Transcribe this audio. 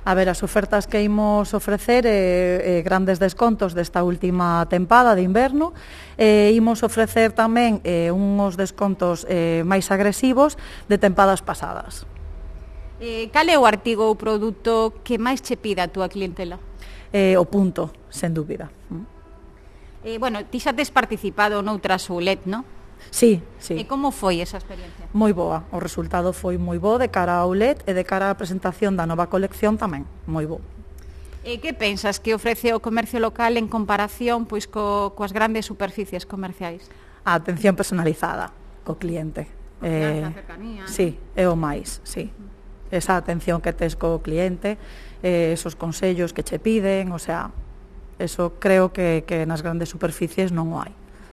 A ver, as ofertas que imos ofrecer grandes descontos desta última tempada de inverno. Imos ofrecer tamén uns descontos máis agresivos de tempadas pasadas. Cal é o artigo ou produto que máis che pida a túa clientela? O punto, sen dúbida. Bueno, ti xa tes participado noutras outlet, non? Sí, sí. E como foi esa experiencia? Moi boa, o resultado foi moi bo de cara ao outlet e de cara á presentación da nova colección tamén, moi bo. E que pensas que ofrece o comercio local en comparación pois coas grandes superficies comerciais? A atención personalizada co cliente. Confianza, cercanía. Sí, é o máis, sí. Esa atención que tes co cliente, esos consellos que che piden, o sea, eso creo que nas grandes superficies non o hai.